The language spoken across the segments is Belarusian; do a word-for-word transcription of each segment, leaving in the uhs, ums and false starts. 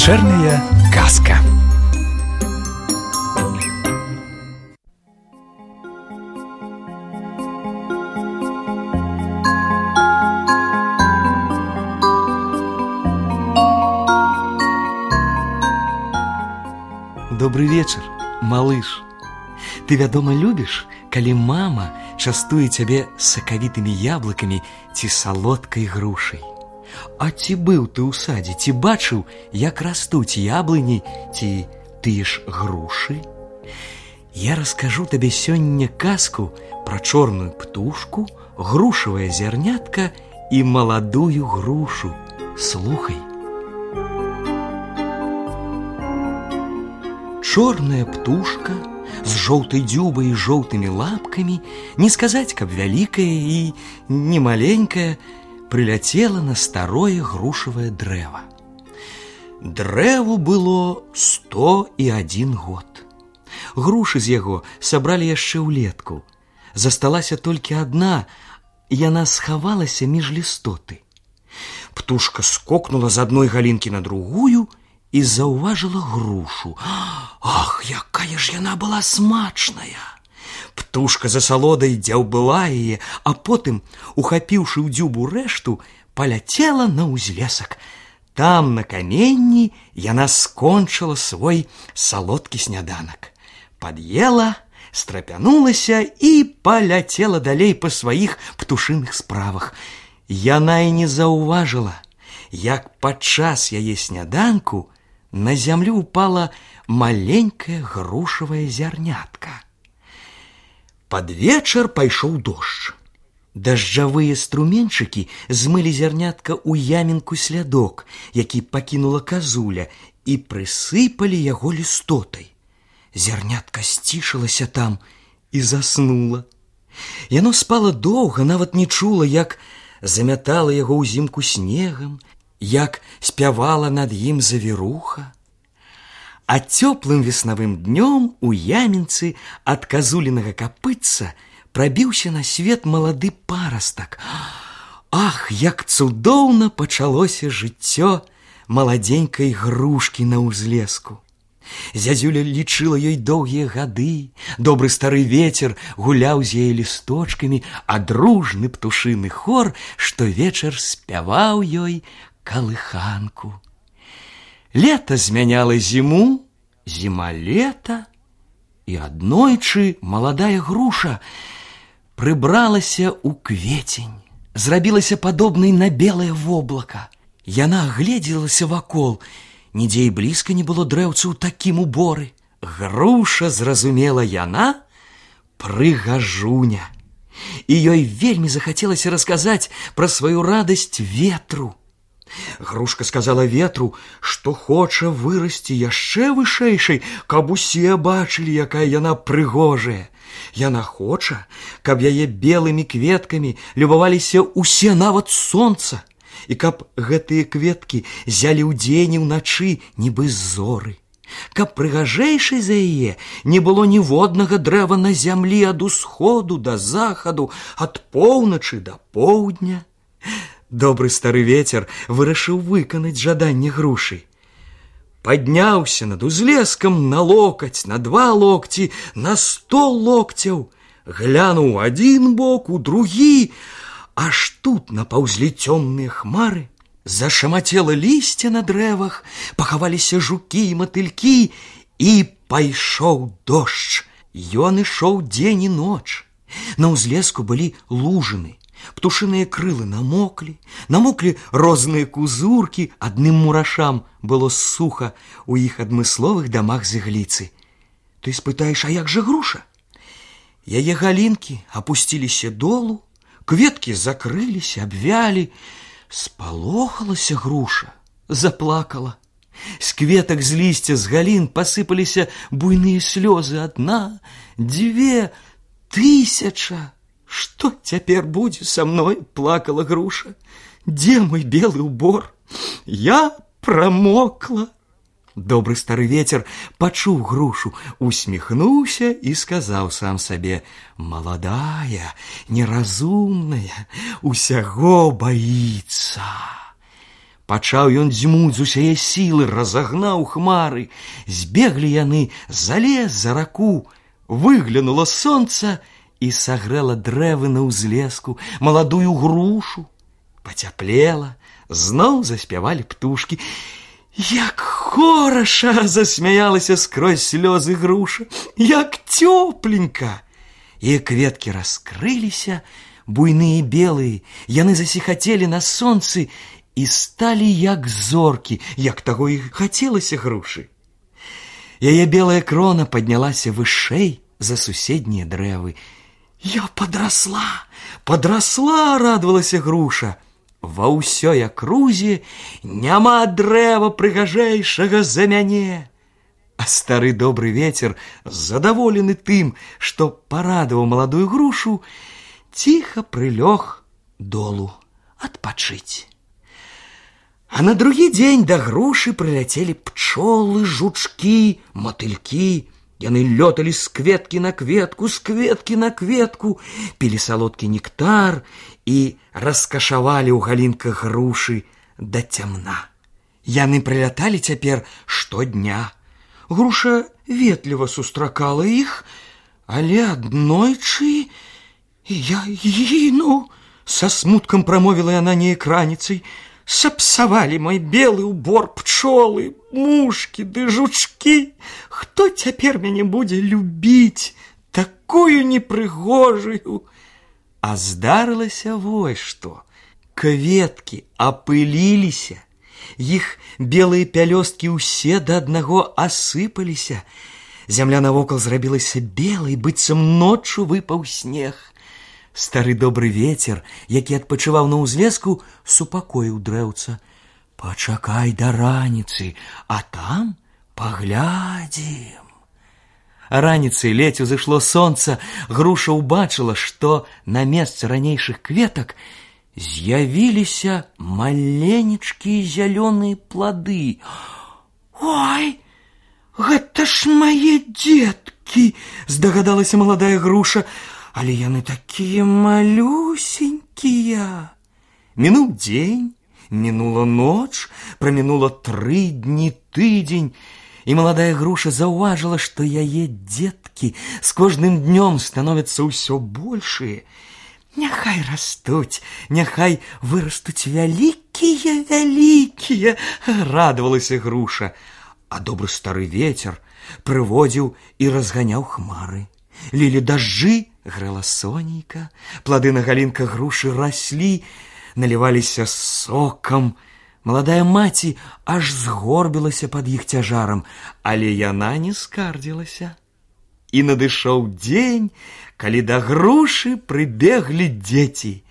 Вечерняя казка. Добрый вечер, малыш. Ты, вядома, любіш, калі мама частуе цябе сакавітымі яблыкамі ці салодкай грушай. А ці быў ты ў садзе, ці бачыў, як растуць яблыні ці тыя ж грушы? Я раскажу табе сёння казку пра чорную птушку, грушавае зярнятка і маладую грушу. Слухай. Чорная птушка з жоўтай дзюбай і жоўтымі лапкамі, не сказаць, каб вялікая і не маленькая, прыляцела на старое грушавае дрэва. Дрэву было сто і адзін год. Грушы з яго сабралі яшчэ ўлетку. Засталася толькі адна, яна схавалася між лістоты. Птушка скокнула з адной галінкі на другую і заўважыла грушу. Ах, якая ж яна была смачная! Птушка за салодай дзяўбыла яе, а потым, ухапіўшы ў дзюбу рэшту, паляцела на ўзлесак. Там, на каменні, яна скончыла свой салодкі сняданак. Пад'ела, страпянулася і паляцела далей па сваіх птушыных справах. Яна і не заўважыла, як падчас яе сняданку на зямлю упала маленькае грушавае зярнятка. Пад вечар пайшоў дождж. Дажджавыя струменчыкі змылі зярнятка ў ямінку слядок, які пакінула казуля, і прысыпалі яго лістотай. Зярнятка сцішылася там і заснула. Яно спала доўга, нават не чула, як замятала яго ўзімку снегам, як спявала над ім завіруха. А цёплым веснавым днём у ямінцы ад казулінага капытца прабіўся на свет малады парастак. Ах, як цудоўна пачалося жыццё маладзенькай грушкі на ўзлеску. Зязюля лічыла ёй доўгія гады, добры стары вецер гуляў з яе лісточкамі, а дружны птушыны хор штовечар спяваў ёй калыханку. Лета змяняла зіму, зіма лета, і аднойчы маладая груша прыбралася ў кветень, зрабілася падобнай на белае воблака. Яна агледзелася вакол, нідзе і блізка не было дрэўцаў такім уборы. Груша, зразумела яна, прыгажуня. І ёй вельмі захацелася расказаць пра сваю радасць ветру. Грушка сказала ветру, што хоча вырасці яшчэ вышэйшай, каб усе бачылі, якая яна прыгожая. Яна хоча, каб яе белымі кветкамі любаваліся ўсе, нават сонца, і каб гэтыя кветкі зялі ўдзень і ўначы, нібы зоры. Каб прыгажэйшай за яе не было ніводнага дрэва на зямлі ад усходу да захаду, ад поўначы да поўдня. Добры стары вецер вырашыў выканаць жаданне грушы. Падняўся над узлескам на локаць, на два локці, на сто локцяў, глянуў адзін бок, у другі, аж тут напаўзлі цёмныя хмары, зашамацела лісце на дрэвах, пахаваліся жукі і матылькі, і пайшоў дождж. Ён ішоў дзень і ноч. На ўзлеску былі лужыны. Птушыныя крылы намоклі, намоклі розныя кузуркі, адным мурашам было суха ў іх адмысловых дамах з ігліцы. Ты спытаеш, а як жа груша? Яе галінкі апусціліся долу, кветкі закрыліся, абвялі. Спалохалася груша, заплакала. З кветак, з лісця, з галін пасыпаліся буйныя слёзы. Адна, дзве, тысяча. Што цяпер будзе са мной, плакала груша. Дзе мой белы ўбор? Я прамокла. Добры стары вецер пачуў грушу, усміхнуўся і сказаў сам сабе: маладая, неразумная, усяго баіцца. Пачаў ён дзьмуць з усяе сілы, разагнаў хмары. Збеглі яны за лес, за раку. Выглянуло сонца і сагрэла дрэвы на ўзлеску, маладую грушу. Пацяплела, зноў заспявалі птушкі. Як хораша, засмяялася скрозь слёзы груша, як цёпленька. І кветкі раскрыліся, буйныя белыя, яны засіхацелі на сонцы і сталі як зоркі, як таго і хацелася грушы. Яе белая крона паднялася вышэй за суседнія дрэвы. Я падрасла, падрасла, радавалася груша. Ва ўсёй акрузе няма дрэва прыгажэйшага за мяне. А стары добры вецер, задаволены тым, што парадаваў маладую грушу, ціха прылёг долу адпачыць. А на другі дзень да грушы прыляцелі пчолы, жучкі, матылькі. Яны лёталі з кветкі на кветку, з кветкі на кветку, пілі салодкі нектар і раскашавалі ў галінках грушы да цямна. Яны прыляталі цяпер штодня. Груша ветліва сустракала іх, але аднойчы я гіну, са смуткам прамовіла яна неяк раніцай. Сапсавалі мой белы убор пчолы, мушкі ды жучкі. Хто цяпер мяне будзе любіць, такую непрыгожую? А здарылася вось што. Кветкі апыліліся, іх белыя пялёсткі ўсе да аднаго асыпаліся. Зямля навокал зрабілася белай, быццам ноччу выпаў снег. Стары добры вецер, які адпачываў на ўзлеску, супакоіў дрэўца. Пачакай да раніцы, а там паглядзім. Раніцай ледзь узышло сонца, груша ўбачыла, што на месцы ранейшых кветак з'явіліся маленечкія зялёныя плады. Ой, гэта ж мае дзеткі, здагадалася маладая груша. Але яны такія малюсенькія. Мінуў дзень, мінула ноч, прамінула тры дні, тыдзень, і маладая груша заўважыла, што яе дзеткі з кожным днём становяцца ўсё большыя. Няхай растуць, няхай вырастуць вялікія, вялікія, радавалася груша. А добры стары вецер прыводзіў і разганяў хмары. Лілі дажджы, грэла сонейка, плады на галінках грушы раслі, наліваліся сокам. Маладая маці аж згорбілася пад іх цяжарам, але яна не скардзілася. І надышоў дзень, калі да грушы прыбеглі дзеці.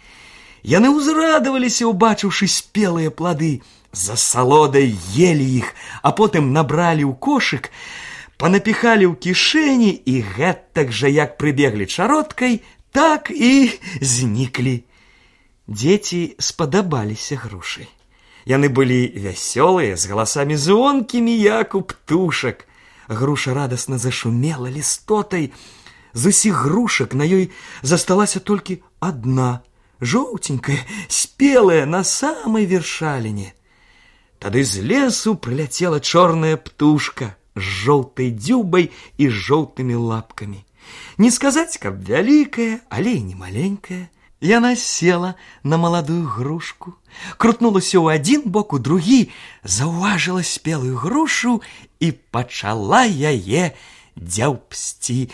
Яны ўзрадаваліся, убачыўшы спелыя плады, за салодай елі іх, а потым набралі ў кошык, панапіхалі ў кішэні і гэтак жа, як прыбеглі чароткай, так і зніклі. Дзеці спадабаліся грушы. Яны былі вясёлыя, з галасамі звонкімі, як у птушак. Груша радасна зашумела лістотай. З усіх грушак на ёй засталася толькі адна, жоўценькая, спелая на самай вершаліне. Тады з лесу прыляцела чорная птушка з жоўтай дзюбай і жоўтымі лапкамі. Не сказаць, каб вялікая, але і не маленькая. Яна села на маладую грушку, крутнулася ў адзін бок, у другі, заўважыла спелую грушу і пачала яе дзяўбсці.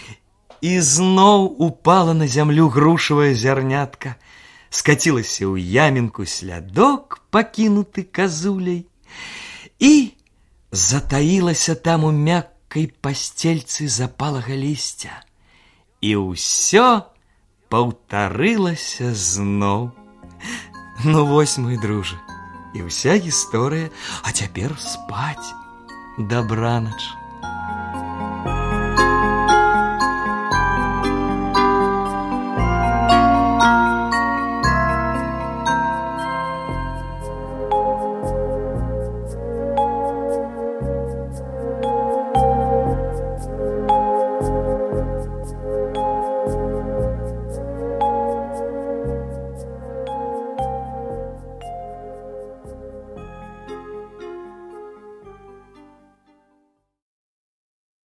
І зноў упала на зямлю грушавая зярнятка, скацілася ў ямінку слядок, пакінуты казуляй, і затаілася там у мяккай пасцельцы запалага лісця. І ўсё паўтарылася зноў. Ну вось, мой дружа, і ўся гісторыя, а цяпер спаць. Дабранач.